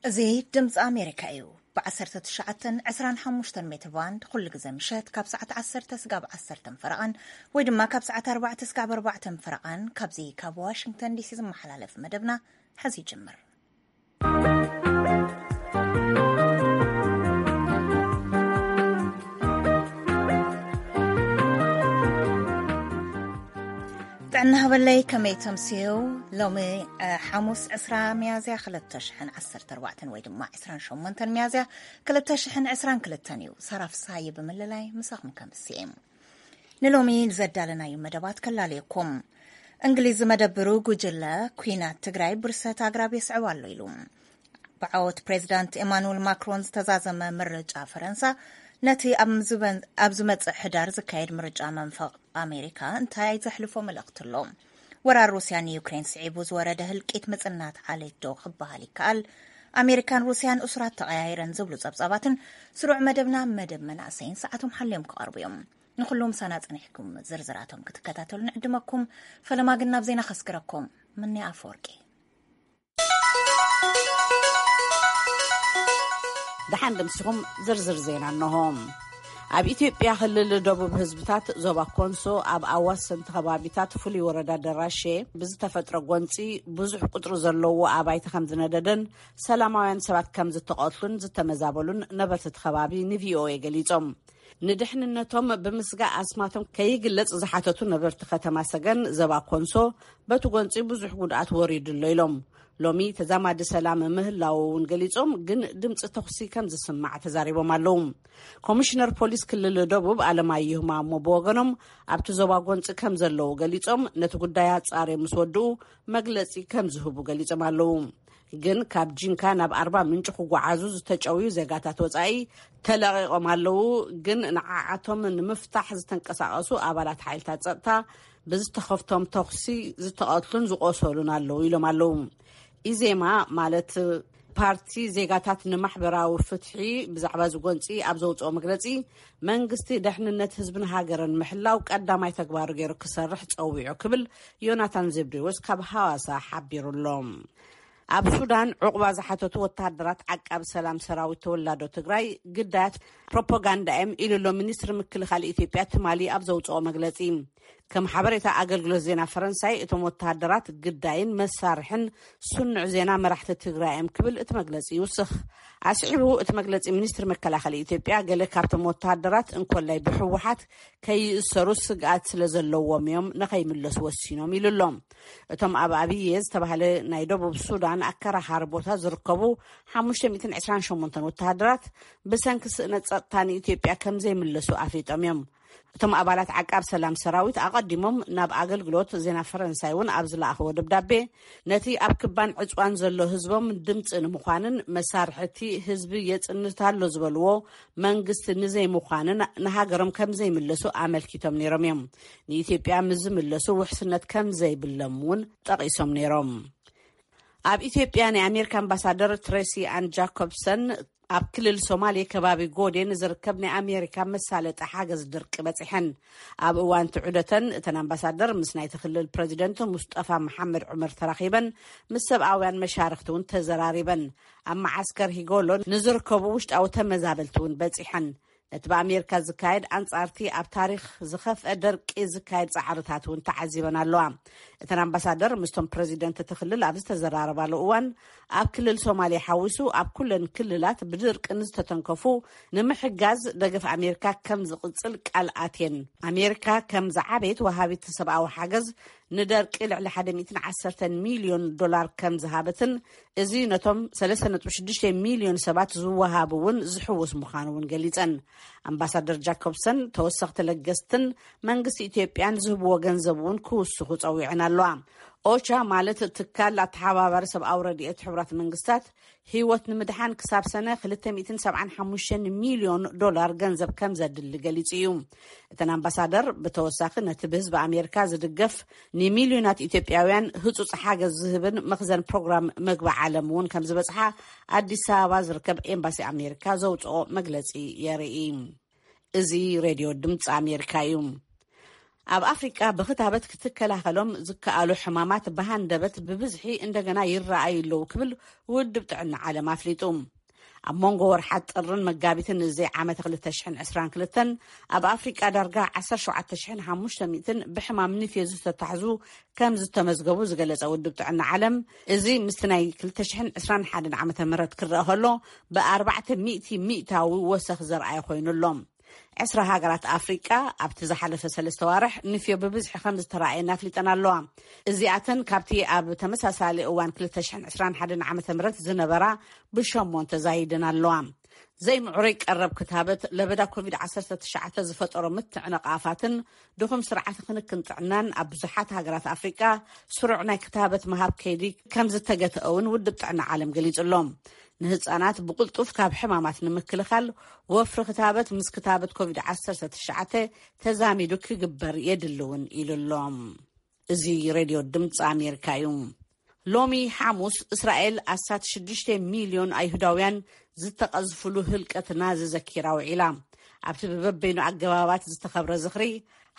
እዚ ድምፂ ኣሜሪካ እዩ። ብ19፣ 25 ሜትር ባንድ ኩሉ ግዜ ምሸት ካብ ሰዓት 10 ስጋብ 10 ፈረቓን ወይ ድማ ካብ ሰዓት 4 ስጋብ 4 ፈረቓን ካብዚ ካብ ዋሽንግተን ዲሲ ዝመሓላለፍ መደብና ሕዚ ይጅምር። ጥዕና ሃበለይ፣ ከመይ ተምስዩ? ሎሚ፣ እ፣ ሓሙስ ዕስራ ሚያዝያ ክልተ ሽሕን ዓሰርተ ኣርባዕተን ወይ ድማ ዕስራን ሸሞንተን ሚያዝያ ክልተ ሽሕን ዕስራን ክልተን እዩ። ሳራ ፍስሃየ ብምልላይ ምሳኹም ከምስየ። ንሎሚ ዘዳለናዩ መደባት ከላልየኩም። እንግሊዝ መደብሩ ጉጅለ ኲናት ትግራይ ብርሰት ኣግራብ የስዕብ ኣሎ ኢሉ። ብዓወት ፕሬዚዳንት ኤማኑኤል ማክሮን ዝተዛዘመ ምርጫ ፈረንሳ ነቲ ኣብ ዝመ-፣ ኣብ ዝመጽእ ሕዳር ዝካየድ ምርጫ መንፈቕ ኣሜሪካ እንታይ ዘሕልፎ መልእኽቲ ኣሎ? ወራር ሩስያ ንዩክሬን ስዒቡ ዝወረደ ህልቂት ምጽናት ዓሌት ዶ ክበሃል ይከኣል? ኣሜሪካን ሩስያን እሱራት ተቐያይረን ዝብሉ ጸብጻባትን ስሩዕ መደብና መደብ መናእሰይን ሰዓቶም ሓልዮም ክቐርቡ እዮም። ንኹሉ ምሳና ጸኒሕኩም ዝርዝራቶም ክትከታተሉ ንዕድመኩም። ፈለማ ግን ናብ ዜና ከስግረኩም። ምንያ ኣፈወርቂ። ደሓን ደምሲኹም ዝርዝር ዜና እንሆ። ኣብ ኢትዮጵያ ክልል ደቡብ ህዝብታት ዞባ ኮንሶ ኣብ ኣዋሰንቲ ከባቢታት ፍሉይ ወረዳ ደራሼ ብዝተፈጥረ ጎንፂ ብዙሕ ቁፅሪ ዘለዎ ኣባይቲ ከም ዝነደደን ሰላማውያን ሰባት ከም ዝተቐትሉን ዝተመዛበሉን ነበርቲ እቲ ከባቢ ንቪኦኤ ገሊፆም። ንድሕንነቶም ብምስጋእ ኣስማቶም ከይግለጽ ዝሓተቱ ነበርቲ ከተማ ሰገን ዘባ ኮንሶ በቲ ጎንፂ ብዙሕ ጉድኣት ወሪዱ ኣሎ ኢሎም። ሎሚ ተዛማዲ ሰላም ምህላው እውን ገሊጾም፣ ግን ድምፂ ተኹሲ ከም ዝስማዕ ተዛሪቦም ኣለዉ። ኮሚሽነር ፖሊስ ክልል ደቡብ ኣለማየሁ ማሞ ብወገኖም ኣብቲ ዞባ ጎንፂ ከም ዘለዉ ገሊጾም፣ ነቲ ጉዳይ ኣጻርዮም ምስ ወድኡ መግለጺ ከም ዝህቡ ገሊጾም ኣለዉ። ግን ካብ ጂንካ ናብ ኣርባ ምንጭ ክጓዓዙ ዝተጨውዩ ዜጋታት ወጻኢ ተለቒቖም ኣለዉ። ግን ንዓዓቶም ንምፍታሕ ዝተንቀሳቐሱ ኣባላት ሓይልታት ጸጥታ ብዝተኸፍቶም ተኹሲ ዝተቐትሉን ዝቆሰሉን ኣለዉ ኢሎም ኣለዉ። ኢዜማ ማለት ፓርቲ ዜጋታት ንማሕበራዊ ፍትሒ ብዛዕባ እዚ ጎንፂ ኣብ ዘውፅኦ መግለፂ፣ መንግስቲ ድሕንነት ህዝብን ሃገርን ምሕላው ቀዳማይ ተግባሩ ገይሩ ክሰርሕ ፀዊዑ ክብል ዮናታን ዘብዴዎስ ካብ ሃዋሳ ሓቢሩ ኣሎ። ኣብ ሱዳን ዕቑባ ዝሓተቱ ወተሃደራት ዓቃቢ ሰላም ሰራዊት ተወላዶ ትግራይ ግዳያት ፕሮፓጋንዳ እዮም ኢሉ ኣሎ ሚኒስትሪ ምክልኻል ኢትዮጵያ ትማሊ ኣብ ዘውፅኦ መግለፂ። ከም ሓበሬታ ኣገልግሎት ዜና ፈረንሳይ፣ እቶም ወተሃደራት ግዳይን መሳርሕን ስኑዕ ዜና መራሕቲ ትግራይ እዮም ክብል እቲ መግለፂ ይውስኽ። ኣስዒቡ እቲ መግለፂ፣ ሚኒስትሪ መከላኸሊ ኢትዮጵያ ገለ ካብቶም ወተሃደራት እንኮላይ ብህወሓት ከይእሰሩ ስግኣት ስለ ዘለዎም እዮም ንኸይምለሱ ወሲኖም ኢሉ ኣሎ። እቶም ኣብ ኣብየ ዝተባህለ ናይ ደቡብ ሱዳን ኣከራኻሪ ቦታ ዝርከቡ ሓሙሽተ ሚእትን ዕስራን ሸሞንተን ወተሃደራት ብሰንኪ ስእነት ጸጥታ ንኢትዮጵያ ከም ዘይምለሱ ኣፍሊጦም እዮም። እቶም ኣባላት ዓቃብ ሰላም ሰራዊት ኣቐዲሞም ናብ ኣገልግሎት ዜና ፈረንሳይ እውን ኣብ ዝለኣኽዎ ደብዳቤ፣ ነቲ ኣብ ክባን ዕጽዋን ዘሎ ህዝቦም ድምፂ ንምዃንን መሳርሕቲ ህዝቢ የጽንት ኣሎ ዝበልዎ መንግስቲ ንዘይምዃንን ንሃገሮም ከም ዘይምለሱ ኣመልኪቶም ነይሮም እዮም። ንኢትዮጵያ ምስ ዝምለሱ ውሕስነት ከም ዘይብሎም እውን ጠቒሶም ነይሮም። ኣብ ኢትዮጵያ ናይ ኣሜሪካ ኣምባሳደር ትሬሲ ኣን ጃኮብሰን ኣብ ክልል ሶማሌ ከባቢ ጎዴ ንዝርከብ ናይ ኣሜሪካ መሳለጢ ሓገዝ ድርቂ በጺሐን። ኣብ እዋን እቲ ዑደተን እተን ኣምባሳደር ምስ ናይቲ ክልል ፕሬዚደንት ሙስጠፋ መሓመድ ዑመር ተራኺበን ምስ ሰብኣውያን መሻርኽቲ እውን ተዘራሪበን። ኣብ መዓስከር ሂጎሎ ንዝርከቡ ውሽጣዊ ተመዛበልቲ እውን በጺሐን። ነቲ ብኣሜሪካ ዝካየድ ኣንጻርቲ ኣብ ታሪኽ ዝኸፍአ ደርቂ ዝካየድ ጻዕርታት እውን ተዓዚበን ኣለዋ። እተን ኣምባሳደር ምስቶም ፕረዚደንት እቲ ክልል ኣብ ዝተዘራረባሉ እዋን፣ ኣብ ክልል ሶማሌ ሓዊሱ ኣብ ኩለን ክልላት ብድርቂ ንዝተተንከፉ ንምሕጋዝ ደገፍ ኣሜሪካ ከም ዝቕጽል ቃል ኣትየን። ኣሜሪካ ከም ዝዓበየት ወሃቢት ሰብኣዊ ሓገዝ ንደርቂ ልዕሊ ሓደ ሚእትን ዓሰርተን ሚልዮን ዶላር ከም ዝሃበትን፣ እዚ ነቶም ሰለስተ ነጥቢ ሽዱሽተ ሚልዮን ሰባት ዝወሃብ እውን ዝሕውስ ምዃኑ እውን ገሊጸን። ኣምባሳደር ጃኮብሰን ተወሰኽቲ ለገስትን መንግስቲ ኢትዮጵያን ዝህብዎ ገንዘብ እውን ክውስኹ ጸዊዐን ኣለዋ። ኦቻ ማለት ትካል ኣተሓባባሪ ሰብኣዊ ረድኤት ሕቡራት መንግስታት ህይወት ንምድሓን ክሳብ ሰነ ክልተ ሚእትን ሰብዓን ሓሙሽተን ሚልዮን ዶላር ገንዘብ ከም ዘድሊ ገሊጹ እዩ። እተን ኣምባሳደር ብተወሳኺ ነቲ ብህዝቢ ኣሜሪካ ዝድገፍ ንሚልዮናት ኢትዮጵያውያን ህጹጽ ሓገዝ ዝህብን መኽዘን ፕሮግራም መግቢ ዓለም እውን ከም ዝበጽሓ ኣዲስ ኣበባ ዝርከብ ኤምባሲ ኣሜሪካ ዘውጽኦ መግለጺ የርኢ። እዚ ሬድዮ ድምፂ ኣሜሪካ እዩ። ኣብ ኣፍሪቃ ብክታበት ክትከላኸሎም ዝከኣሉ ሕማማት ብሃንደበት ብብዝሒ እንደገና ይረኣዩ ኣለዉ ክብል ውድብ ጥዕና ዓለም ኣፍሊጡ። ኣብ መንጎ ወርሓት ጥርን መጋቢትን እዚ ዓመት ክልተ ሽሕን ዕስራን ክልተን ኣብ ኣፍሪቃ ዳርጋ ዓሰርተ ሸውዓተ ሽሕን ሓሙሽተ ሚእትን ብሕማም ንፍዮ ዝተታሕዙ ከም ዝተመዝገቡ ዝገለጸ ውድብ ጥዕና ዓለም፣ እዚ ምስቲ ናይ ክልተ ሽሕን ዕስራን ሓደን ዓመተ ምህረት ክረአ ከሎ ብኣርባዕተ ሚእቲ ሚእታዊ ወሰኽ ዘርኣየ ኮይኑ ኣሎ። ዕስራ ሃገራት ኣፍሪቃ ኣብቲ ዝሓለፈ ሰለስተ ዋርሕ ንፍዮ ብብዝሒ ከም ዝተራእየን ኣፍሊጠን ኣለዋ። እዚኣተን ካብቲ ኣብ ተመሳሳሊ እዋን ክልተ ሽሕን ዕስራን ሓደን ዓመተ ምህረት ዝነበራ ብሸሞንተ ዛይደን ኣለዋ። ዘይምዕሩይ ቀረብ ክታበት ለበዳ ኮቪድ ዓሰርተ ትሽዓተ ዝፈጠሮ ምትዕንቓፋትን ድኹም ስርዓት ክንክን ጥዕናን ኣብ ብዙሓት ሃገራት ኣፍሪቃ ስሩዕ ናይ ክታበት ምሃብ ከይዲ ከም ዝተገትአ እውን ውድብ ጥዕና ዓለም ገሊጹ ኣሎ። ንህጻናት ብቕልጡፍ ካብ ሕማማት ንምክልኻል ወፍሪ ክታበት ምስ ክታበት ኮቪድ ዓሰርተ ትሽዓተ ተዛሚዱ ክግበር የድሊ እውን ኢሉ ኣሎ። እዚ ሬድዮ ድምፂ ኣሜሪካ እዩ። ሎሚ ሓሙስ እስራኤል ኣስታት ሽዱሽተ ሚልዮን ኣይሁዳውያን ዝተቐዝፍሉ ህልቀት ናዚ ዘኪራ ውዒላ። ኣብቲ ብበበይኑ ኣገባባት ዝተኸብረ ዝኽሪ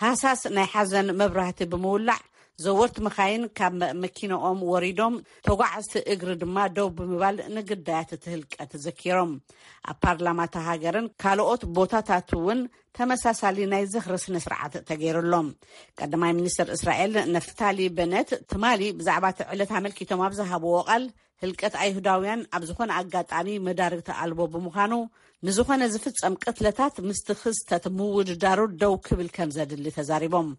ሃሳስ ናይ ሓዘን መብራህቲ ብምውላዕ ዘወርቲ መኻይን ካብ መኪንኦም ወሪዶም ተጓዓዝቲ እግሪ ድማ ደው ብምባል ንግዳያት እቲ ህልቀት ዘኪሮም። ኣብ ፓርላማ እታ ሃገርን ካልኦት ቦታታት እውን ተመሳሳሊ ናይ ዝኽሪ ስነ ስርዓት ተገይሩሎም። ቀዳማይ ሚኒስትር እስራኤል ነፍታሊ በነት ትማሊ ብዛዕባ እቲ ዕለት ኣመልኪቶም ኣብ ዝሃብዎ ቃል ህልቀት ኣይሁዳውያን ኣብ ዝኾነ ኣጋጣሚ መዳርግቲ ኣልቦ ብምዃኑ ንዝኾነ ዝፍጸም ቅትለታት ምስቲ ክስተት ምውድዳሩ ደው ክብል ከም ዘድሊ ተዛሪቦም።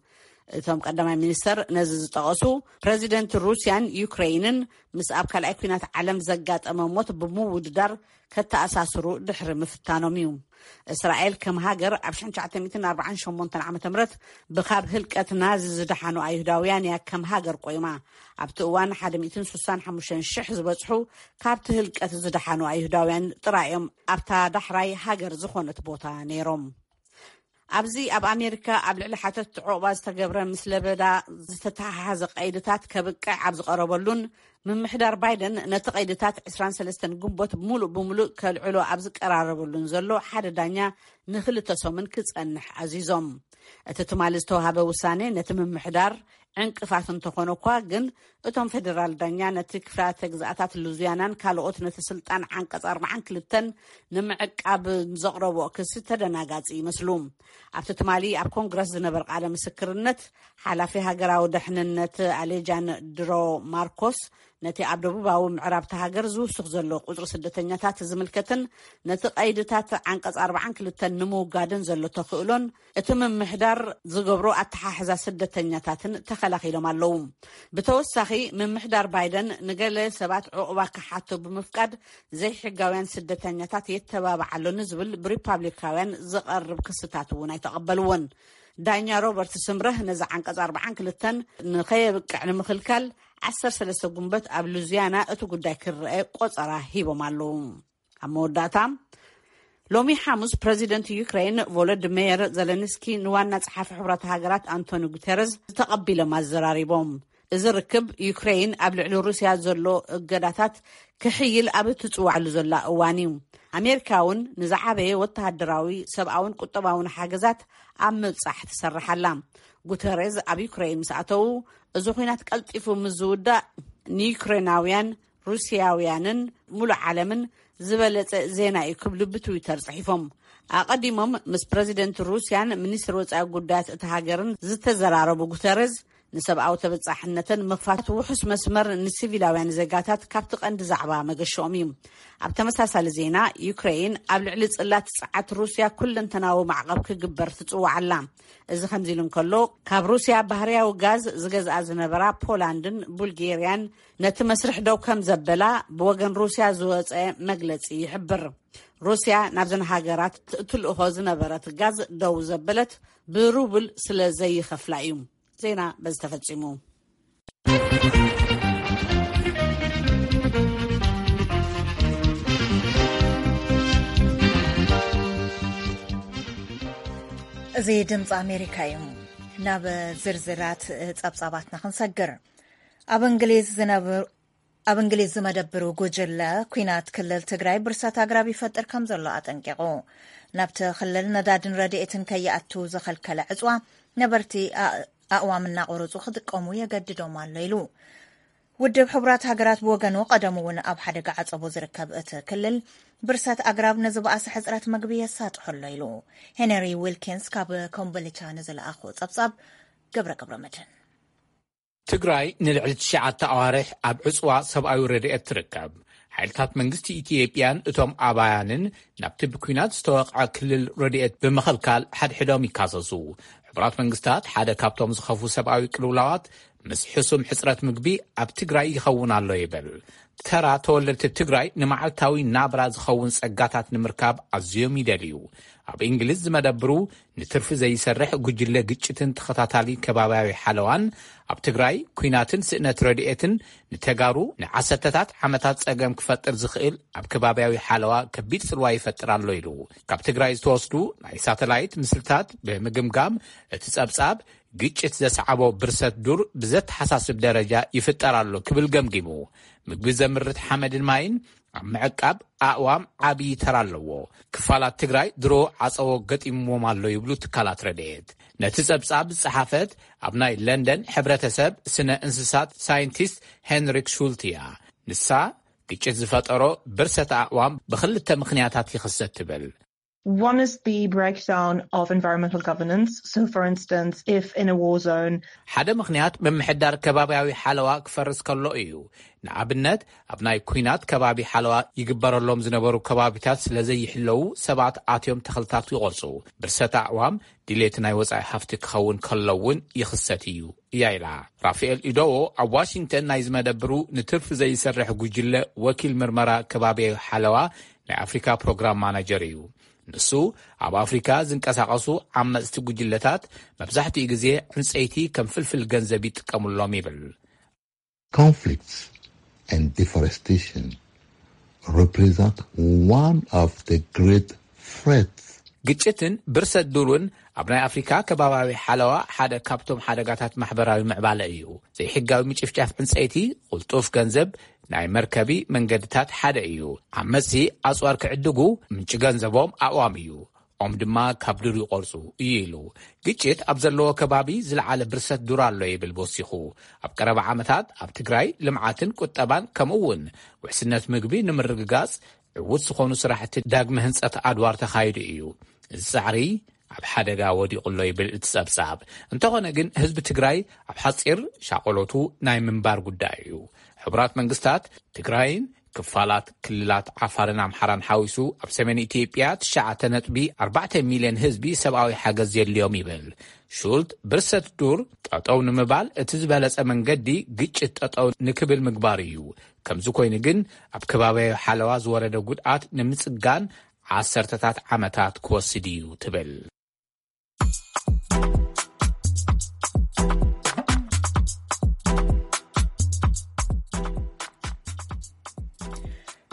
እቶም ቀዳማይ ሚኒስተር ነዚ ዝጠቐሱ ፕረዚደንት ሩስያን ዩክሬይንን ምስ ኣብ ካልኣይ ኩናት ዓለም ዘጋጠመ ሞት ብምውድዳር ከተኣሳስሩ ድሕሪ ምፍታኖም እዩ። እስራኤል ከም ሃገር ኣብ ሽሕን ትሽዓተ ሚእትን ኣርባዓን ሸሞንተን ዓመተ ምህረት ብካብ ህልቀት ናዚ ዝደሓኑ ኣይሁዳውያን እያ ከም ሃገር ቆይማ። ኣብቲ እዋን ሓደ ሚእትን ስሳን ሓሙሽተን ሽሕ ዝበጽሑ ካብቲ ህልቀት ዝደሓኑ ኣይሁዳውያን ጥራይ እዮም ኣብታ ዳሕራይ ሃገር ዝኾነት ቦታ ነይሮም። ኣብዚ ኣብ ኣሜሪካ ኣብ ልዕሊ ሓተትቲ ዑቕባ ዝተገብረ ምስ ለበዳ ዝተተሓሓዘ ቀይድታት ከብቅዕ ኣብ ዝቐረበሉን ምምሕዳር ባይደን ነቲ ቀይድታት ዕስራን ሰለስተን ግንቦት ሙሉእ ብምሉእ ከልዕሎ ኣብ ዝቀራረበሉን ዘሎ ሓደ ዳኛ ንክልተ ሰሙን ክጸንሕ ኣዚዞም። እቲ ትማሊ ዝተዋሃበ ውሳኔ ነቲ ምምሕዳር ዕንቅፋት እንተኾነ እኳ ግን እቶም ፌደራል ዳኛ ነቲ ክፍላተ ግዝኣታት ሉዚያናን ካልኦት ነቲ ስልጣን ዓንቀጽ ኣርባዓን ክልተን ንምዕቃብ ዘቕረብኦ ክሲ ተደናጋጺ ይመስሉ። ኣብቲ ትማሊ ኣብ ኮንግረስ ዝነበር ቃለ ምስክርነት ሓላፊ ሃገራዊ ደሕንነት ኣሌጃንድሮ ማርኮስ ነቲ ኣብ ደቡባዊ ምዕራብ እታ ሃገር ዝውስኽ ዘሎ ቁጽሪ ስደተኛታት ዝምልከትን ነቲ ቀይድታት ዓንቀጽ ኣርባዓን ክልተን ንምውጋድን ዘሎ ተኽእሎን እቲ ምምሕዳር ዝገብሮ ኣተሓሕዛ ስደተኛታትን ተኸላኺሎም ኣለዉ። ብተወሳኺ ምምሕዳር ባይደን ንገለ ሰባት ዕቑባ ክሓቱ ብምፍቃድ ዘይሕጋውያን ስደተኛታት የተባብዓ ኣሎ ንዝብል ብሪፓብሊካውያን ዝቐርብ ክስታት እውን ኣይተቐበልዎን። ዳኛ ሮበርት ስምረህ ነዚ ዓንቀጽ ኣርባዓን ክልተን ንኸየብቅዕ ንምኽልካል ዓሰርተ ሰለስተ ጉንበት ኣብ ሉዚያና እቲ ጉዳይ ክረአ ቆጸራ ሂቦም ኣለዉ። ኣብ መወዳእታ ሎሚ ሓሙስ ፕረዚደንት ዩክሬን ቮሎዲሜር ዘለንስኪ ንዋና ጸሓፊ ሕቡራት ሃገራት ኣንቶኒ ጉተረዝ ተቐቢሎም ኣዘራሪቦም። እዚ ርክብ ዩክሬን ኣብ ልዕሊ ሩስያ ዘሎ እገዳታት ክሕይል ኣብ እትጽዋዕሉ ዘላ እዋን እዩ። ኣሜሪካ እውን ንዝዓበየ ወተሃደራዊ፣ ሰብኣውን ቁጠባውን ሓገዛት ኣብ ምብጻሕ ትሰርሕ ኣላ። ጉተሬዝ ኣብ ዩክሬን ምስ ኣተዉ እዚ ኲናት ቀልጢፉ ምስ ዝውዳእ ንዩክሬናውያን፣ ሩስያውያንን ሙሉእ ዓለምን ዝበለጸ ዜና እዩ ክብሉ ብትዊተር ጽሒፎም። ኣቐዲሞም ምስ ፕረዚደንት ሩስያን ሚኒስትር ወጻኢ ጉዳያት እቲ ሃገርን ዝተዘራረቡ ጉተሬዝ ንሰብኣዊ ተበጻሕነትን ምኽፋት ውሑስ መስመር ንሲቪላውያን ዜጋታት ካብቲ ቀንዲ ዛዕባ መገሽኦም እዩ። ኣብ ተመሳሳሊ ዜና ዩክሬን ኣብ ልዕሊ ጽላት ጸዓት ሩስያ ኩለንተናዊ ማዕቐብ ክግበር ትጽዋዕ ኣላ። እዚ ከምዚ ኢሉ እንከሎ ካብ ሩስያ ባህርያዊ ጋዝ ዝገዝኣ ዝነበራ ፖላንድን ቡልጌርያን ነቲ መስርሕ ደው ከም ዘበላ ብወገን ሩስያ ዝወጸ መግለጺ ይሕብር። ሩስያ ናብዘን ሃገራት ትልእኾ ዝነበረት ጋዝ ደው ዘበለት ብሩብል ስለ ዘይኸፍላ እዩ። ዜና በዚ ተፈጺሙ። እዚ ድምፂ ኣሜሪካ እዩ። ናብ ዝርዝራት ፀብፃባትና ክንሰግር። ኣብ እንግሊዝ ዝነብሩ ኣብ እንግሊዝ ዝመደብሩ ጉጅለ ኲናት ክልል ትግራይ ብርሰት ኣግራብ ይፈጥር ከም ዘሎ ኣጠንቂቑ። ናብቲ ክልል ነዳድን ረድኤትን ከይኣቱ ዝኸልከለ ዕፅዋ ነበርቲ ኣእዋም እናቆረጹ ክጥቀሙ የገድዶም ኣሎ ኢሉ። ውድብ ሕቡራት ሃገራት ብወገኑ፣ ቀደም እውን ኣብ ሓደጋ ዓጸቦ ዝርከብ እቲ ክልል፣ ብርሰት ኣግራብ ንዝበኣሰ ሕጽረት መግቢ የሳጥሖ ኣሎ ኢሉ። ሄነሪ ዊልኪንስ ካብ ኮምቦልቻ ንዝለኣኾ ጸብጻብ፣ ገብረ ገብረ መድህን። ትግራይ ንልዕሊ ትሽዓተ ኣዋርሕ ኣብ ዕጽዋ ሰብኣዊ ረድኤት ትርከብ። ሓይልታት መንግስቲ ኢትዮጵያን እቶም ኣባያንን ናብቲ ብኲናት ዝተወቕዐ ክልል ረድኤት ብምኽልካል ሓድሕዶም ይካሰሱ። ሕቡራት መንግስታት፣ ሓደ ካብቶም ዝኸፉ ሰብኣዊ ቅልውላዋት ምስ ሕሱም ሕጽረት ምግቢ ኣብ ትግራይ ይኸውን ኣሎ ይብል። ተራ ተወለድቲ ትግራይ ንመዓልታዊ ናብራ ዝኸውን ጸጋታት ንምርካብ ኣዝዮም ይደልዩ። ኣብ እንግሊዝ ዝመደብሩ ንትርፊ ዘይሰርሕ ጉጅለ ግጭትን ተኸታታሊ ከባብያዊ ሓለዋን፣ ኣብ ትግራይ ኲናትን ስእነት ረድኤትን ንተጋሩ ንዓሰርተታት ዓመታት ጸገም ክፈጥር ዝኽእል ኣብ ከባብያዊ ሓለዋ ከቢድ ጽልዋ ይፈጥር ኣሎ ኢሉ። ካብ ትግራይ ዝተወስዱ ናይ ሳተላይት ምስልታት ብምግምጋም፣ እቲ ጸብጻብ ግጭት ዘስዓቦ ብርሰት ዱር ብዘተሓሳስብ ደረጃ ይፍጠር ኣሎ ክብል ገምጊሙ። ምግቢ ዘምርት ሓመድን ማይን ኣብ ምዕቃብ ኣእዋም ዓብዪ ተራ ኣለዎ። ክፋላት ትግራይ ድሮ ዓጸቦ ገጢምዎም ኣሎ ይብሉ ትካላት ረድኤት። ነቲ ጸብጻብ ዝጸሓፈት ኣብ ናይ ለንደን ሕብረተሰብ ስነ እንስሳት ሳይንቲስት ሄንሪክ ሹልት እያ። ንሳ፣ ግጭት ዝፈጠሮ ብርሰት ኣእዋም ብኽልተ ምኽንያታት ይኽሰት ትብል። One is the breakdown of environmental governance. So, for instance, if in a war zone, ሓደ ምኽንያት ምምሕዳር ከባብያዊ ሓለዋ ክፈርስ ከሎ እዩ። ንኣብነት፣ ኣብ ናይ ኲናት ከባቢ ሓለዋ ይግበረሎም ዝነበሩ ከባቢታት ስለ ዘይሕለዉ፣ ሰባት ኣትዮም ተኽልታት ይቖርጹ። ብርሰት ኣእዋም ድሌት ናይ ወጻኢ ሃፍቲ ክኸውን ከሎ እውን ይኽሰት እዩ እያ ኢላ። ራፋኤል ኢዶዎ ኣብ ዋሽንግተን ናይ ዝመደብሩ ንትርፊ ዘይሰርሕ ጉጅለ ወኪል ምርመራ ከባብያዊ ሓለዋ ናይ ኣፍሪካ ፕሮግራም ማናጀር እዩ። ንሱ፣ ኣብ ኣፍሪካ ዝንቀሳቐሱ ዓመፅቲ ጉጅለታት መብዛሕትኡ ግዜ ዕንፀይቲ ከም ፍልፍል ገንዘብ ይጥቀሙሎም ይብል። Conflicts and deforestation represent one of the great threats. ግጭትን ብርሰት ዱርን ኣብ ናይ ኣፍሪካ ከባብያዊ ሓለዋ ሓደ ካብቶም ሓደጋታት ማሕበራዊ ምዕባለ እዩ። ዘይሕጋዊ ምጭፍጫፍ ዕንፀይቲ፣ ቁልጡፍ ገንዘብ ናይ መርከቢ መንገድታት ሓደ እዩ። ዓመፅቲ ኣፅዋር ክዕድጉ ምንጪ ገንዘቦም ኣእዋም እዩ። ኦም ድማ ካብ ዱር ይቆርፁ እዩ ኢሉ። ግጭት ኣብ ዘለዎ ከባቢ ዝለዓለ ብርሰት ዱር ኣሎ ይብል ወሲኹ። ኣብ ቀረባ ዓመታት ኣብ ትግራይ ልምዓትን ቁጠባን ከምኡ እውን ውሕስነት ምግቢ ንምርግጋፅ ዕዉት ዝኾኑ ስራሕቲ ዳግመ ህንፀት ኣድዋር ተኻይዱ እዩ። እዚ ጻዕሪ ኣብ ሓደጋ ወዲቑ ኣሎ ይብል እቲ ጸብጻብ። እንተኾነ ግን ህዝቢ ትግራይ ኣብ ሓጺር ሻቆሎቱ ናይ ምንባር ጉዳይ እዩ። ሕቡራት መንግስታት ትግራይን ክፋላት ክልላት ዓፋርን ኣምሓራን ሓዊሱ ኣብ ሰሜን ኢትዮጵያ ትሽዓተ ነጥቢ ኣርባዕተ ሚልዮን ህዝቢ ሰብኣዊ ሓገዝ የድልዮም ይብል። ሹልት ብርሰት ዱር ጠጠው ንምባል እቲ ዝበለጸ መንገዲ ግጭት ጠጠው ንክብል ምግባር እዩ። ከምዚ ኮይኑ ግን ኣብ ከባብያዊ ሓለዋ ዝወረደ ጉድኣት ንምጽጋን ዓሰርተታት ዓመታት ክወስድ እዩ ትብል።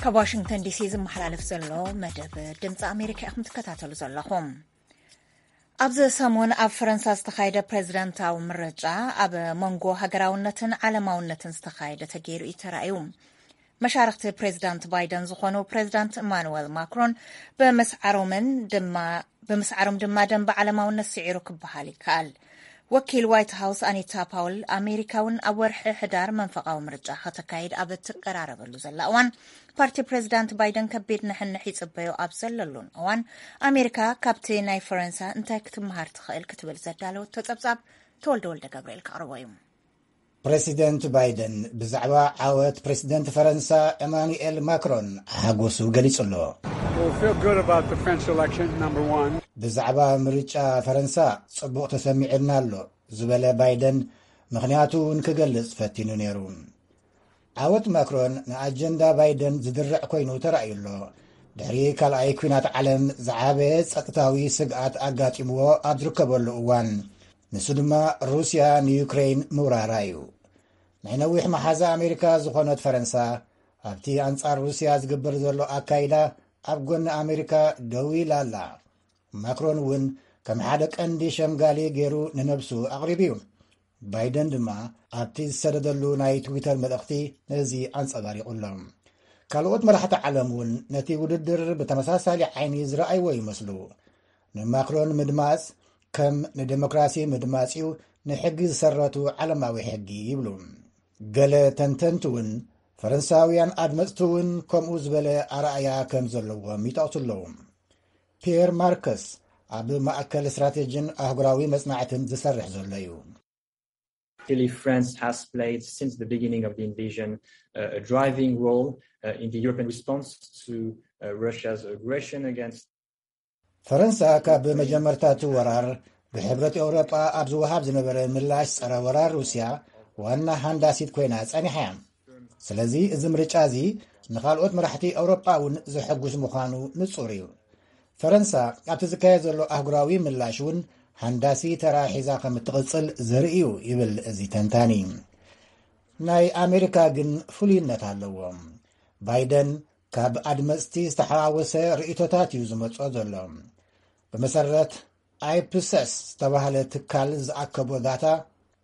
ካብ ዋሽንግተን ዲሲ ዝመሓላለፍ ዘሎ መደብ ድምፂ ኣሜሪካ ኢኹም ትከታተሉ ዘለኹም። ኣብዚ ሰሙን ኣብ ፈረንሳ ዝተኻየደ ፕሬዝዳንታዊ ምርጫ ኣብ መንጎ ሃገራውነትን ዓለማውነትን ዝተኻየደ ተገይሩ እዩ ተራእዩ። መሻርኽቲ ፕሬዝዳንት ባይደን ዝኾኑ ፕሬዝዳንት ኢማኑዌል ማክሮን ብምስዓሮምን ድማ ብምስዓሮም ድማ ደንበ ዓለማውነት ስዒሩ ክበሃል ይከኣል። ወኪል ዋይት ሃውስ ኣኒታ ፓውል፣ ኣሜሪካ እውን ኣብ ወርሒ ሕዳር መንፈቓዊ ምርጫ ከተካይድ ኣብ እትቀራረበሉ ዘላ እዋን፣ ፓርቲ ፕሬዝዳንት ባይደን ከቢድ ንሕንሕ ይጽበዮ ኣብ ዘለሉን እዋን፣ ኣሜሪካ ካብቲ ናይ ፈረንሳ እንታይ ክትመሃር ትኽእል ክትብል ዘዳለወቶ ጸብጻብ ተወልደ ወልደ ገብርኤል ከቕርቦ እዩ። ፕሬዚደንት ባይደን ብዛዕባ ዓወት ፕሬዚደንት ፈረንሳ ኤማኑኤል ማክሮን ሓጎሱ ገሊጹ ኣሎ። We'll feel good about the French election, number one. ብዛዕባ ምርጫ ፈረንሳ ጽቡቕ ተሰሚዑና ኣሎ ዝበለ ባይደን፣ ምኽንያቱ እውን ክገልጽ ፈቲኑ ነይሩ። ዓወት ማክሮን ንኣጀንዳ ባይደን ዝድርዕ ኮይኑ ተራእዩ ኣሎ። ድሕሪ ካልኣይ ኲናት ዓለም ዝዓበየ ጸጥታዊ ስግኣት ኣጋጢምዎ ኣብ ዝርከበሉ እዋን፣ ንሱ ድማ ሩስያ ንዩክሬን ምውራራ እዩ። ናይ ነዊሕ መሓዛ ኣሜሪካ ዝኾነት ፈረንሳ፣ ኣብቲ ኣንጻር ሩስያ ዝግበር ዘሎ ኣካይዳ ኣብ ጎኒ ኣሜሪካ ደው ኢላ ኣላ። ማክሮን እውን ከም ሓደ ቀንዲ ሸምጋሊ ገይሩ ንነብሱ ኣቕሪቡ እዩ። ባይደን ድማ ኣብቲ ዝሰደደሉ ናይ ትዊተር መልእኽቲ ነዚ ኣንጸባሪቑ ኣሎ። ካልኦት መራሕቲ ዓለም እውን ነቲ ውድድር ብተመሳሳሊ ዓይኒ ዝረኣይዎ ይመስሉ። ንማክሮን ምድማጽ ከም ንዴሞክራሲ ምድማጽ እዩ፣ ንሕጊ ዝሰረቱ ዓለማዊ ሕጊ ይብሉ። ገለ ተንተንቲ እውን ፈረንሳውያን ኣድመጽቲ እውን ከምኡ ዝበለ ኣረኣያ ከም ዘለዎም ይጠቕሱ ኣለዉ። ፒየር ማርከስ ኣብ ማእከል ስትራቴጂን ኣህጉራዊ መጽናዕትን ዝሰርሕ ዘሎ እዩ። Clearly, France has played since the beginning of the invasion uh, a driving role uh, in the European response to uh, Russia's aggression against ፈረንሳ ካብ መጀመርታ እቲ ወራር ብሕብረት ኤውሮጳ ኣብ ዝወሃብ ዝነበረ ምላሽ ጸረ ወራር ሩስያ ዋና ሃንዳሲት ኮይና ጸኒሓ እያ። ስለዚ እዚ ምርጫ እዚ ንኻልኦት መራሕቲ ኤውሮጳ እውን ዘሐጉስ ምዃኑ ንጹር እዩ። ፈረንሳ ኣብቲ ዝካየድ ዘሎ ኣህጉራዊ ምላሽ እውን ሃንዳሲ ተራ ሒዛ ከም እትቕጽል ዘርኢ እዩ ይብል እዚ ተንታኒ። ናይ ኣሜሪካ ግን ፍሉይነት ኣለዎ። ባይደን ካብ ኣድመጽቲ ዝተሓዋወሰ ርእይቶታት እዩ ዝመጽኦ ዘሎ። ብመሰረት ኣይፕሰስ ዝተባህለ ትካል ዝኣከቦ ዳታ፣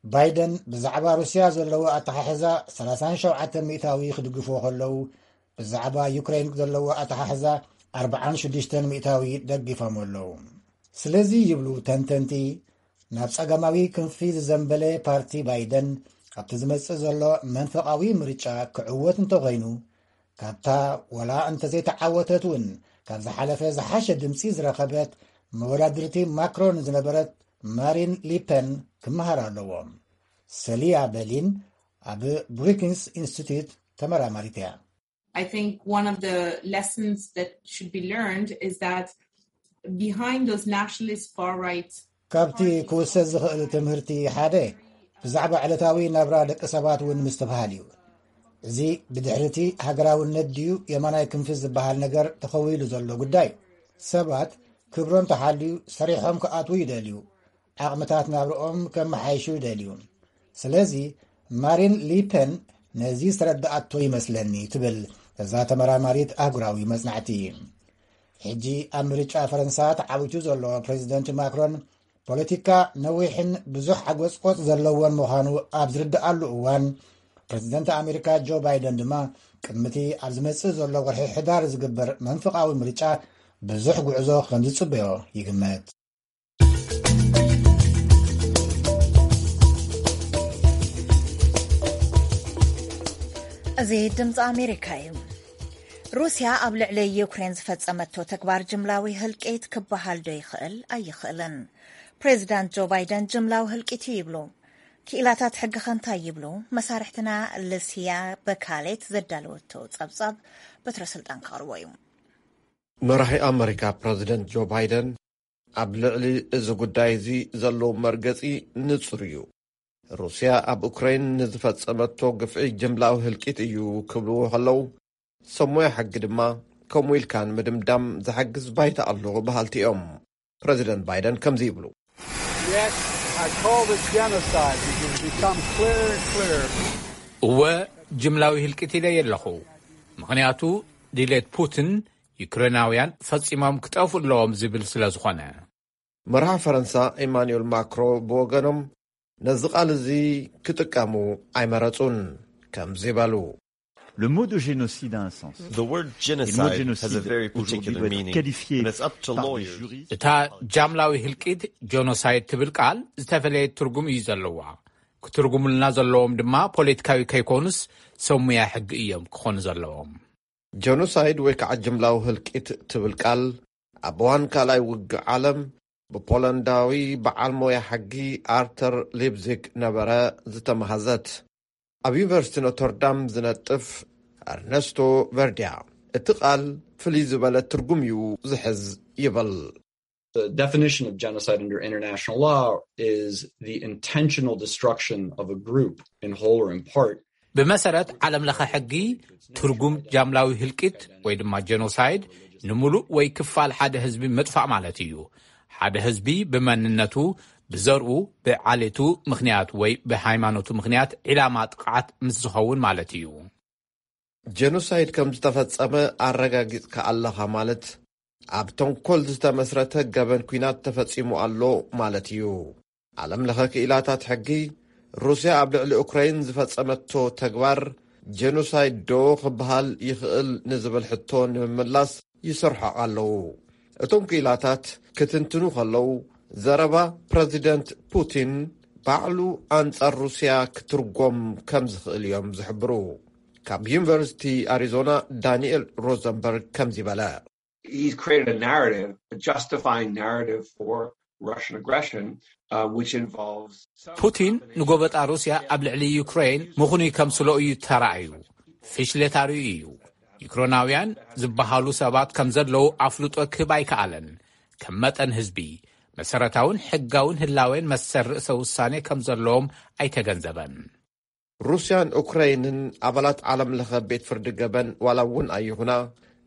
ባይደን ብዛዕባ ሩስያ ዘለዎ ኣተሓሕዛ ሰላሳን ሸውዓተ ሚእታዊ ክድግፍዎ ከለዉ፣ ብዛዕባ ዩክሬን ዘለዎ ኣተሓሕዛ ኣርብዓን ሽዱሽተን ሚእታዊ ደጊፎም ኣለዉ። ስለዚ ይብሉ ተንተንቲ፣ ናብ ጸጋማዊ ክንፊ ዝዘንበለ ፓርቲ ባይደን ኣብቲ ዝመጽእ ዘሎ መንፈቓዊ ምርጫ ክዕወት እንተኾይኑ፣ ካብታ ወላ እንተዘይተዓወተት እውን ካብ ዝሓለፈ ዝሓሸ ድምጺ ዝረኸበት መወዳድርቲ ማክሮን ዝነበረት ማሪን ሊፐን ክመሃር ኣለዎ። ሰሊያ በሊን ኣብ ብሩኪንስ ኢንስቲትዩት ተመራማሪት እያ። I think one of the lessons that should be learned is that behind those nationalist far right ካብቲ ክውሰድ ዝኽእል ትምህርቲ ሓደ፣ ብዛዕባ ዕለታዊ ናብራ ደቂ ሰባት እውን ምስትብሃል እዩ። እዚ ብድሕሪቲ ሃገራውነት ድዩ የማናይ ክንፊ ዝበሃል ነገር ተኸዊሉ ዘሎ ጉዳይ። ሰባት ክብሮም ተሓልዩ ሰሪሖም ክኣትዉ ይደልዩ፣ ዓቕምታት ናብርኦም ከመሓይሹ ይደልዩ። ስለዚ ማሪን ሊፐን ነዚ ዝተረድኣቶ ይመስለኒ ትብል እዛ ተመራማሪት ኣህጉራዊ መጽናዕቲ። ሕጂ ኣብ ምርጫ ፈረንሳ ተዓዊቱ ዘሎ ፕሬዚደንት ማክሮን ፖለቲካ ነዊሕን ብዙሕ ሓጎጽቆጽ ዘለዎን ምዃኑ ኣብ ዝርድኣሉ እዋን፣ ፕሬዚደንት ኣሜሪካ ጆ ባይደን ድማ ቅድሚቲ ኣብ ዝመጽእ ዘሎ ወርሒ ሕዳር ዝግበር መንፍቓዊ ምርጫ ብዙሕ ጉዕዞ ከም ዝጽበዮ ይግመት። እዚ ድምፂ ኣሜሪካ እዩ። ሩስያ ኣብ ልዕሊ ዩክሬን ዝፈጸመቶ ተግባር ጅምላዊ ህልቂት ክበሃል ዶ ይኽእል ኣይኽእልን? ፕሬዚዳንት ጆ ባይደን ጅምላዊ ህልቂት እዩ ይብሉ። ክኢላታት ሕጊ ከ እንታይ ይብሉ? መሳርሕትና ልስያ በካሌት ዘዳለወቶ ጸብጻብ በትረ ስልጣን ከቕርቦ እዩ። መራሒ ኣመሪካ ፕረዚደንት ጆ ባይደን ኣብ ልዕሊ እዚ ጉዳይ እዚ ዘለዎም መርገጺ ንጹር እዩ። ሩስያ ኣብ ኡክራይን ንዝፈጸመቶ ግፍዒ ጅምላዊ ህልቂት እዩ ክብልዎ ከለዉ፣ ሰብ ሞያ ሕጊ ድማ ከምኡ ኢልካ ንምድምዳም ዝሕግዝ ባይታ ኣሎ በሃልቲ እዮም። ፕረዚደንት ባይደን ከምዚ ይብሉ። Yet I call this genocide because it's become clearer and clearer. እወ፣ ጅምላዊ ህልቂት ኢለ የለኹ። ምኽንያቱ ድሌት ፑቲን ዩክሬናውያን ፈጺሞም ክጠፍኡ ኣለዎም ዝብል ስለ ዝኾነ። መራሒ ፈረንሳ ኢማኑኤል ማክሮ ብወገኖም ነዚ ቃል እዚ ክጥቀሙ ኣይመረጹን። ከምዚ በሉ። Le mot de génocide a un sens. The word Et le mot de genocide has a génocide very aujourd'hui particular doit être meaning, qualifié and it's up to par des lawyers. juristes. እታ ጃምላዊ ህልቂት ጆኖሳይድ ትብል ቃል ዝተፈለየ ትርጉም እዩ ዘለዋ። ክትርጉምልና ዘለዎም ድማ ፖለቲካዊ ከይኮኑስ ሰብ ሙያ ሕጊ እዮም ክኾኑ ዘለዎም። ጀኖሳይድ ወይ ከዓ ጅምላዊ ህልቂት ትብል ቃል ኣብ እዋን ካልኣይ ውግእ ዓለም ብፖላንዳዊ በዓል ሞያ ሕጊ ኣርተር ሊፕዚግ ነበረ ዝተመሃዘት። ኣብ ዩኒቨርሲቲ ኖተርዳም ዝነጥፍ ኣርነስቶ ቨርዲያ እቲ ቃል ፍልይ ዝበለ ትርጉም እዩ ዝሕዝ ይብል። The definition of genocide under international law is the intentional destruction of a group in whole or in part. ብመሰረት ዓለም ለኸ ሕጊ ትርጉም ጃምላዊ ህልቂት ወይ ድማ ጀኖሳይድ ንምሉእ ወይ ክፋል ሓደ ህዝቢ ምጥፋእ ማለት እዩ። ሓደ ህዝቢ ብመንነቱ፣ ብዘርኡ፣ ብዓሌቱ ምኽንያት ወይ ብሃይማኖቱ ምኽንያት ዒላማ ጥቕዓት ምስ ዝኸውን ማለት እዩ። ጀኖሳይድ ከም ዝተፈጸመ ኣረጋጊጽካ ኣለኻ ማለት ኣብ ተንኮል ዝተመስረተ ገበን ኲናት ተፈጺሙ ኣሎ ማለት እዩ። ዓለም ለኸ ክኢላታት ሕጊ ሩስያ ኣብ ልዕሊ ኡክራይን ዝፈጸመቶ ተግባር ጀኖሳይድ ዶ ክበሃል ይኽእል ንዝብል ሕቶ ንምምላስ ይሰርሖ ኣለዉ። እቶም ክኢላታት ክትንትኑ ከለዉ ዘረባ ፕረዚደንት ፑቲን ባዕሉ ኣንጻር ሩስያ ክትርጎም ከም ዝኽእል እዮም ዝሕብሩ። ካብ ዩኒቨርሲቲ ኣሪዞና ዳንኤል ሮዘንበርግ ከምዚ በለ። He's created a narrative, a justifying narrative for Russian aggression, uh, which involves some ፑቲን ንጎበጣ ሩስያ ኣብ ልዕሊ ዩክሬን ምኹኑይ ከምስሎ እዩ ተራእዩ። ፍሽለት ኣርእዩ እዩ። ዩክሬናውያን ዝበሃሉ ሰባት ከም ዘለዉ ኣፍልጦ ክህብ ኣይከኣለን። ከም መጠን ህዝቢ፣ መሰረታውን ሕጋውን ህላዌን መሰል ርእሰ ውሳኔ ከም ዘለዎም ኣይተገንዘበን። ሩስያን ኡክራይንን ኣባላት ዓለም ለኸ ቤት ፍርዲ ገበን ዋላ እውን ኣይኹና፣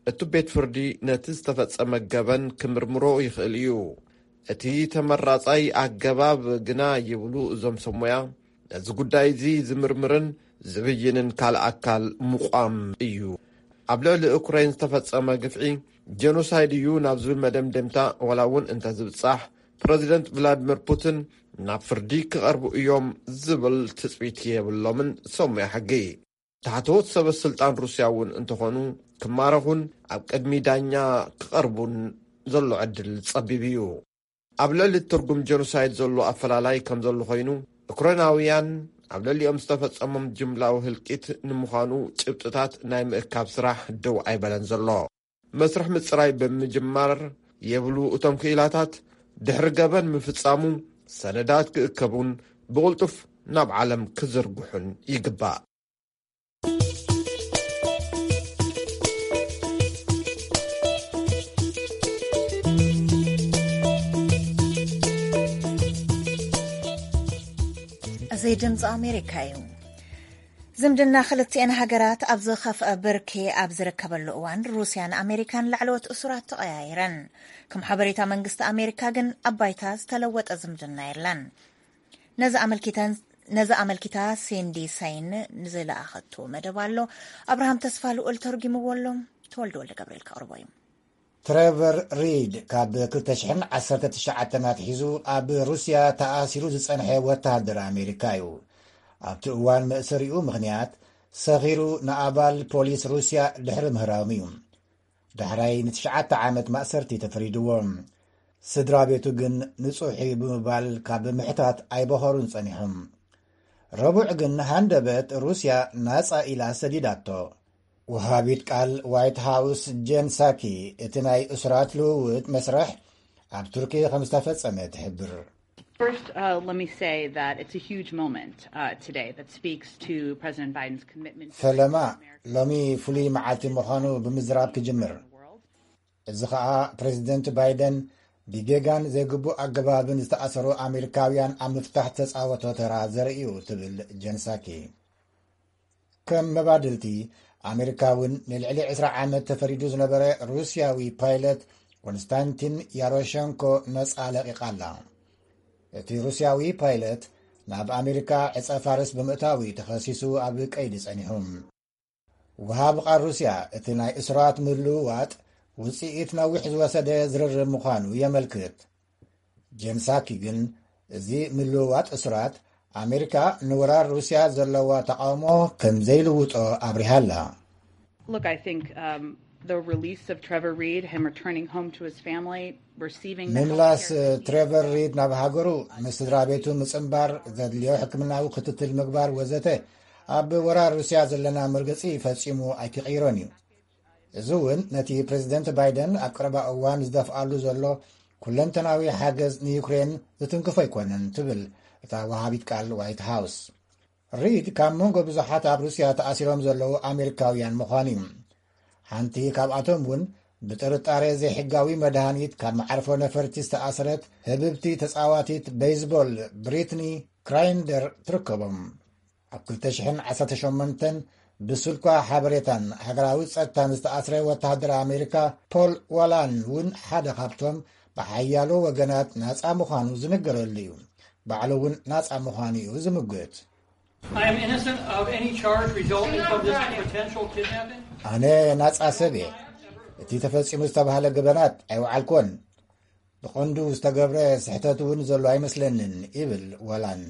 እቲ ቤት ፍርዲ ነቲ ዝተፈጸመ ገበን ክምርምሮ ይኽእል እዩ። እቲ ተመራጻይ ኣገባብ ግና ይብሉ እዞም ሰብ ሞያ፣ ነዚ ጉዳይ እዚ ዝምርምርን ዝብይንን ካልእ ኣካል ምቋም እዩ። ኣብ ልዕሊ ኡክራይን ዝተፈጸመ ግፍዒ ጀኖሳይድ እዩ ናብ ዝብል መደምደምታ ዋላ እውን እንተ ዝብጻሕ፣ ፕረዚደንት ቭላድሚር ፑቲን ናብ ፍርዲ ክቐርቡ እዮም ዝብል ትጽቢት የብሎምን ሰሙያ ሕጊ። ታሕተዎት ሰበ ስልጣን ሩስያ እውን እንተኾኑ ክማረኹን ኣብ ቅድሚ ዳኛ ክቐርቡን ዘሎ ዕድል ጸቢብ እዩ። ኣብ ልዕሊ ትርጉም ጀኖሳይድ ዘሎ ኣፈላላይ ከም ዘሎ ኮይኑ፣ ኡክራይናውያን ኣብ ልዕሊኦም ዝተፈጸሞም ጅምላዊ ህልቂት ንምዃኑ ጭብጥታት ናይ ምእካብ ስራሕ ደው ኣይበለን ዘሎ። መስርሕ ምጽራይ ብምጅማር የብሉ እቶም ክኢላታት፣ ድሕሪ ገበን ምፍጻሙ ሰነዳት ክእከቡን ብቕልጡፍ ናብ ዓለም ክዝርግሑን ይግባእ። እዚ ድምፂ ኣሜሪካ እዩ። ዝምድና ክልቲኤን ሃገራት ኣብ ዝኸፍአ ብርኪ ኣብ ዝርከበሉ እዋን፣ ሩስያን ኣሜሪካን ላዕለዎት እሱራት ተቐያይረን። ከም ሓበሬታ መንግስቲ ኣሜሪካ ግን ኣብ ባይታ ዝተለወጠ ዝምድና የለን። ነዚ ኣመልኪተን-፣ ነዚ ኣመልኪታ ሲንዲ ሰይን ንዝለኣኸቶ መደብ ኣሎ። ኣብርሃም ተስፋ ልኡል ተርጉምዎ ኣሎ። ተወልደ ወልደ ገብርኤል ከቕርቦ እዩ። ትሬቨር ሪድ ካብ ክልተ ሽሕን ዓሰርተ ትሽዓተን ኣትሒዙ ኣብ ሩስያ ተኣሲሩ ዝጸንሐ ወተሃደር ኣሜሪካ እዩ። ኣብቲ እዋን መእሰሪኡ ምኽንያት ሰኺሩ ንኣባል ፖሊስ ሩስያ ድሕሪ ምህራሙ እዩ። ዳሕራይ ንትሽዓተ ዓመት ማእሰርቲ ተፈሪድዎ። ስድራ ቤቱ ግን ንጹሕ እዩ ብምባል ካብ ምሕታት ኣይበኸሩን ጸኒሖም። ረቡዕ ግን ሃንደበት ሩስያ ናጻ ኢላ ሰዲዳቶ። ወሃቢት ቃል ዋይት ሃውስ ጄን ሳኪ እቲ ናይ እሱራት ልውውጥ መስርሕ ኣብ ቱርኪ ከም ዝተፈጸመ ትሕብር። First, uh, let me say that it's a huge moment, uh, today that speaks to President Biden's commitment to ፈለማ፣ ሎሚ ፍሉይ መዓልቲ ምዃኑ ብምዝራብ ክጅምር። እዚ ኸኣ ፕሬዚደንት ባይደን ብጌጋን ዘይግቡእ ኣገባብን ዝተኣሰሩ ኣሜሪካውያን ኣብ ምፍታሕ ተጻወቶ ተራ ዘርኢ እዩ፣ ትብል ጀን ሳኪ። ከም መባድልቲ፣ ኣሜሪካ እውን ንልዕሊ ዕስራ ዓመት ተፈሪዱ ዝነበረ ሩስያዊ ፓይለት ኮንስታንቲን ያሮሸንኮ ነጻ ለቒቓ ኣላ። እቲ ሩስያዊ ፓይለት ናብ ኣሜሪካ ዕጸ ፋርስ ብምእታዊ ተኸሲሱ ኣብ ቀይዲ ጸኒሑ። ወሃቢ ቃል ሩስያ እቲ ናይ እሱራት ምልውዋጥ ውጽኢት ነዊሕ ዝወሰደ ዝርርብ ምዃኑ የመልክት። ጄን ሳኪ ግን እዚ ምልውዋጥ እሱራት ኣሜሪካ ንወራር ሩስያ ዘለዋ ተቓውሞ ከም ዘይልውጦ ኣብሪሃ ኣላ። Look, I think, um, the release of Trevor Reed, him returning home to his family, receiving the ምምላስ healthcare he needs. ትሬቨር ሪድ ናብ ሃገሩ ምስ ስድራ ቤቱ ምጽንባር፣ ዘድልዮ ሕክምናዊ ክትትል ምግባር ወዘተ ኣብ ወራር ሩስያ ዘለና መርገጺ ፈጺሙ ኣይክቕይሮን እዩ። እዚ እውን ነቲ ፕሬዚደንት ባይደን ኣብ ቀረባ እዋን ዝደፍኣሉ ዘሎ ኩለንተናዊ ሓገዝ ንዩክሬን ዝትንክፎ ኣይኮነን፣ ትብል እታ ወሃቢት ቃል ዋይት ሃውስ። ሪድ ካብ መንጎ ብዙሓት ኣብ ሩስያ ተኣሲሮም ዘለዉ ኣሜሪካውያን ምዃኑ እዩ። ሓንቲ ካብኣቶም እውን ብጥርጣሬ ዘይሕጋዊ መድሃኒት ካብ መዓርፎ ነፈርቲ ዝተኣስረት ህብብቲ ተጻዋቲት ቤይዝቦል ብሪትኒ ክራይንደር ትርከቦም። ኣብ ክልተ ሽሕን ዓሰርተ ሸሞንተን ብስልኳ ሓበሬታን ሃገራዊ ጸጥታን ዝተኣስረ ወተሃደር ኣሜሪካ ፖል ዋላን እውን ሓደ ካብቶም ብሓያሎ ወገናት ናጻ ምዃኑ ዝንገረሉ እዩ። ባዕሉ እውን ናጻ ምዃኑ እዩ ዝምግት። I am innocent of any charge resulting from this potential kidnapping. ኣነ ናጻ ሰብ እየ። እቲ ተፈጺሙ ዝተባህለ ገበናት ኣይወዓልኩዎን። ብቐንዱ ዝተገብረ ስሕተት እውን ዘሎ ኣይመስለንን፣ ይብል ዋላን።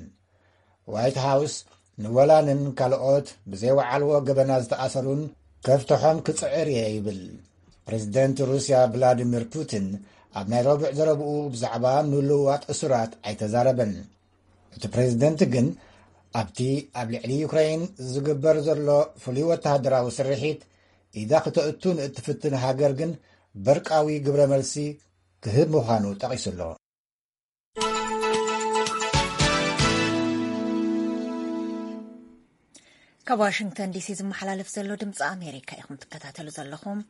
ዋይት ሃውስ ንወላንን ካልኦት ብዘይወዓልዎ ገበናት ዝተኣሰሩን ከፍትሖም ክጽዕር እየ ይብል። ፕሬዝደንት ሩስያ ቭላዲሚር ፑቲን ኣብ ናይ ረቡዕ ዘረብኡ ብዛዕባ ምልውዋጥ እሱራት ኣይተዛረበን። እቲ ፕሬዝደንት ግን ኣብቲ ኣብ ልዕሊ ዩክሬን ዝግበር ዘሎ ፍሉይ ወተሃደራዊ ስርሒት ኢዳ ክተእቱ ንእትፍትን ሃገር ግን በርቃዊ ግብረ መልሲ ክህብ ምዃኑ ጠቒሱ ኣሎ። ካብ ዋሽንግተን ዲሲ ዝመሓላለፍ ዘሎ ድምፂ ኣሜሪካ ኢኹም ትከታተሉ ዘለኹም።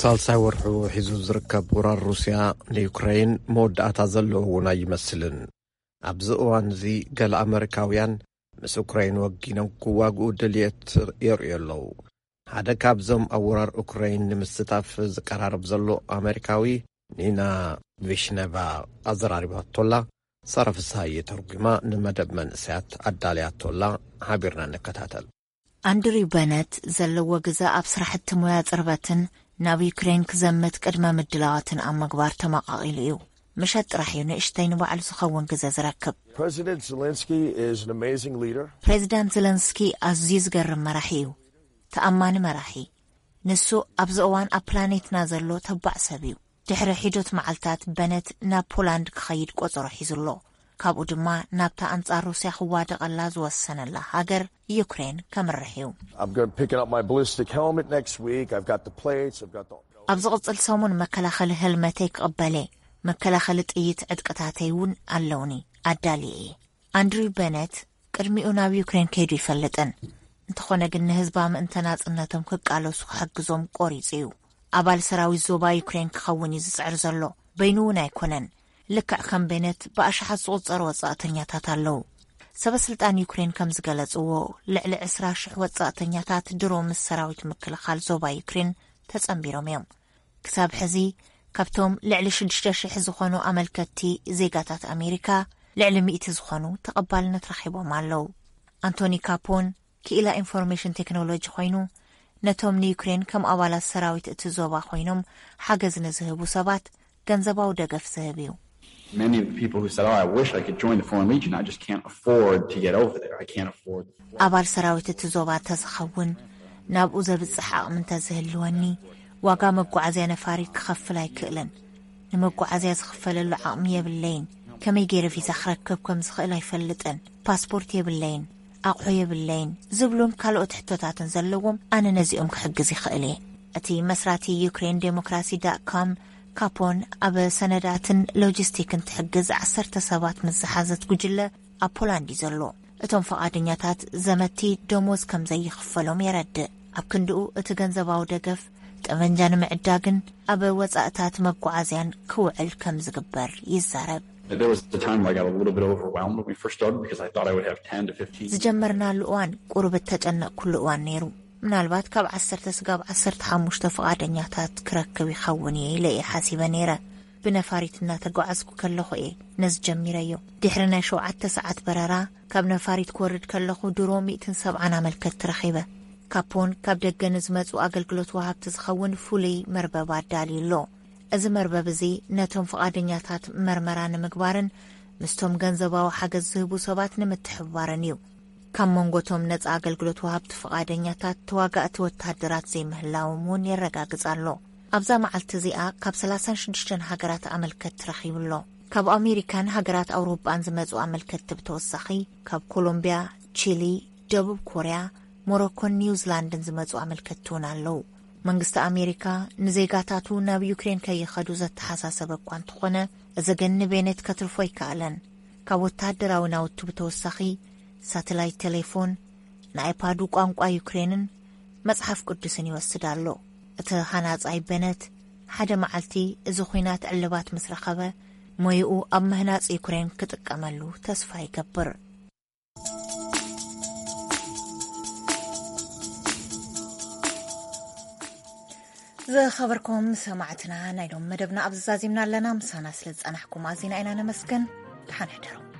ሳልሳይ ወርሑ ሒዙ ዝርከብ ወራር ሩስያ ንዩክረይን መወዳእታ ዘለዎ እውን ኣይመስልን። ኣብዚ እዋን እዚ ገለ ኣመሪካውያን ምስ ኡክረይን ወጊኖም ክዋግኡ ድልየት የርእዩ ኣለዉ። ሓደ ካብዞም ኣብ ወራር ኡክረይን ንምስታፍ ዝቀራረብ ዘሎ ኣመሪካዊ ኒና ቪሽነቫ ኣዘራሪባቶላ። ሳራ ፍስሃየ ተርጉማ ንመደብ መንእሰያት ኣዳልያቶላ። ሓቢርና ንከታተል። ኣንድሪው በነት ዘለዎ ግዘ ኣብ ስራሕቲ ሞያ ጽርበትን ናብ ዩክሬን ክዘምት ቅድመ ምድላዋትን ኣብ ምግባር ተመቓቒሉ እዩ። ምሸት ጥራሕ እዩ ንእሽተይ ንባዕሉ ዝኸውን ግዘ ዝረክብ። President Zelensky is an amazing leader. ፕሬዚዳንት ዘለንስኪ ኣዝዩ ዝገርም መራሒ እዩ። ተኣማኒ መራሒ። ንሱ ኣብዚ እዋን ኣብ ፕላኔትና ዘሎ ተባዕ ሰብ እዩ። ድሕሪ ሒዶት መዓልታት በነት ናብ ፖላንድ ክኸይድ ቆጸሮ ሒዙ ኣሎ። ካብኡ ድማ ናብታ ኣንጻር ሩስያ ክዋደቐላ ዝወሰነላ ሃገር ዩክሬን ከምርሕ እዩ። I'm going to picking up my ballistic helmet next week. I've got the plates. I've got the ኣብ ዝቕጽል ሰሙን መከላኸሊ ሄልመተይ ክቕበል እየ። መከላኸሊ ጥይት ዕጥቅታተይ እውን ኣለውኒ። ኣዳልየ እየ። ኣንድሪው በነት ቅድሚኡ ናብ ዩክሬን ከይዱ ይፈልጥን። እንተኾነ ግን ንህዝባ ምእንተ ናጽነቶም ክቃለሱ ክሕግዞም ቆሪጹ እዩ። ኣባል ሰራዊት ዞባ ዩክሬን ክኸውን እዩ ዝጽዕር ዘሎ። በይኑ እውን ኣይኮነን። ልክዕ ከም በነት ብኣሽሓት ዝቑጸሩ ወጻእተኛታት ኣለዉ። ሰበ ስልጣን ዩክሬን ከም ዝገለጽዎ፣ ልዕሊ ዕስራ ሽሕ ወጻእተኛታት ድሮ ምስ ሰራዊት ምክልኻል ዞባ ዩክሬን ተጸንቢሮም እዮም። ክሳብ ሕዚ ካብቶም ልዕሊ ሽዱሽተ ሽሕ ዝኾኑ ኣመልከትቲ ዜጋታት ኣሜሪካ፣ ልዕሊ ሚእቲ ዝኾኑ ተቐባልነት ረኺቦም ኣለዉ። ኣንቶኒ ካፖን ክኢላ ኢንፎርሜሽን ቴክኖሎጂ ኮይኑ፣ ነቶም ንዩክሬን ከም ኣባላት ሰራዊት እቲ ዞባ ኮይኖም ሓገዝ ንዝህቡ ሰባት ገንዘባዊ ደገፍ ዝህብ እዩ። Many of the people who said, "Oh, I wish I could join the Foreign Legion. I just can't afford to get over there. I can't afford." ኣባል ሰራዊት እቲ ዞባ እንተዝኸውን፣ ናብኡ ዘብጽሕ ዓቕሚ እንተዝህልወኒ፣ ዋጋ መጓዓዝያ ነፋሪት ክኸፍል ኣይክእልን። ንመጓዓዝያ ዝኽፈለሉ ዓቕሚ የብለይን። ከመይ ገይረ ቪዛ ክረክብ ከም ዝኽእል ኣይፈልጥን። ፓስፖርት የብለይን፣ ኣቑሑ የብለይን ዝብሉን ካልኦት ሕቶታትን ዘለዎም፣ ኣነ ነዚኦም ክሕግዝ ይኽእል እየ። እቲ መስራቲ ዩክሬን ዴሞክራሲ ዳት ኮም ካፖን ኣብ ሰነዳትን ሎጂስቲክን ትሕግዝ ዓሰርተ ሰባት ምስ ዝሓዘት ጉጅለ ኣብ ፖላንድ እዩ ዘሎ። እቶም ፈቓደኛታት ዘመቲ ደሞዝ ከም ዘይኽፈሎም የረድእ። ኣብ ክንድኡ እቲ ገንዘባዊ ደገፍ ጠመንጃ ንምዕዳግን ኣብ ወጻእታት መጓዓዝያን ክውዕል ከም ዝግበር ይዛረብ። There was a time where I got a little bit overwhelmed when we first started because I thought I would have ten to fifteen. ዝጀመርናሉ እዋን ቁሩብ እተጨነቕኩሉ እዋን ነይሩ። ምናልባት ካብ ዓሰርተ ስጋብ ዓሰርተ ሓሙሽተ ፍቓደኛታት ክረክብ ይኸውን እየ ኢለ እየ ሓሲበ ነይረ። ብነፋሪት እናተጓዓዝኩ ከለኹ እየ ነዚ ጀሚረዮ። ድሕሪ ናይ ሸውዓተ ሰዓት በረራ ካብ ነፋሪት ክወርድ ከለኹ ድሮ ሚእትን ሰብዓን ኣመልከትቲ ረኺበ። ካፖን ካብ ደገ ንዝመጹ ኣገልግሎት ወሃብቲ ዝኸውን ፍሉይ መርበብ ኣዳልዩ ኣሎ። እዚ መርበብ እዚ ነቶም ፍቓደኛታት መርመራ ንምግባርን ምስቶም ገንዘባዊ ሓገዝ ዝህቡ ሰባት ንምትሕብባርን እዩ። ካብ መንጎቶም ነጻ ኣገልግሎት ወሃብቲ ፍቓደኛታት ተዋጋእቲ ወተሃደራት ዘይምህላዎም እውን የረጋግጽ ኣሎ። ኣብዛ መዓልቲ እዚኣ ካብ ሰላሳን ሽዱሽተን ሃገራት ኣመልከትቲ ረኺቡ ኣሎ። ካብ ኣሜሪካን ሃገራት ኣውሮጳን ዝመጹ ኣመልከትቲ ብተወሳኺ ካብ ኮሎምብያ፣ ቺሊ፣ ደቡብ ኮርያ፣ ሞሮኮን ኒውዚላንድን ዝመጹ ኣመልከትቲ እውን ኣለዉ። መንግስቲ ኣሜሪካ ንዜጋታቱ ናብ ዩክሬን ከይኸዱ ዘተሓሳሰበ እኳ እንተኾነ፣ እዚ ግን ንቤኔት ከትርፎ ኣይከኣለን። ካብ ወተሃደራዊ ናውቱ ብተወሳኺ ሳተላይት ቴሌፎን፣ ንኣይፓዱ ቋንቋ ዩክሬንን መጽሓፍ ቅዱስን ይወስድ ኣሎ። እቲ ሃናጻይ ቤነት ሓደ መዓልቲ እዚ ኹናት ዕልባት ምስ ረኸበ፣ ሞይኡ ኣብ ምህናጽ ዩክሬን ክጥቀመሉ ተስፋ ይገብር። ዝኸበርኩም ሰማዕትና፣ ናይ ሎም መደብና ኣብዚ ዛዚምና ኣለና። ምሳና ስለ ዝጸናሕኩም ኣዚና ኢና ነመስግን። ደሓን ሕደሩ።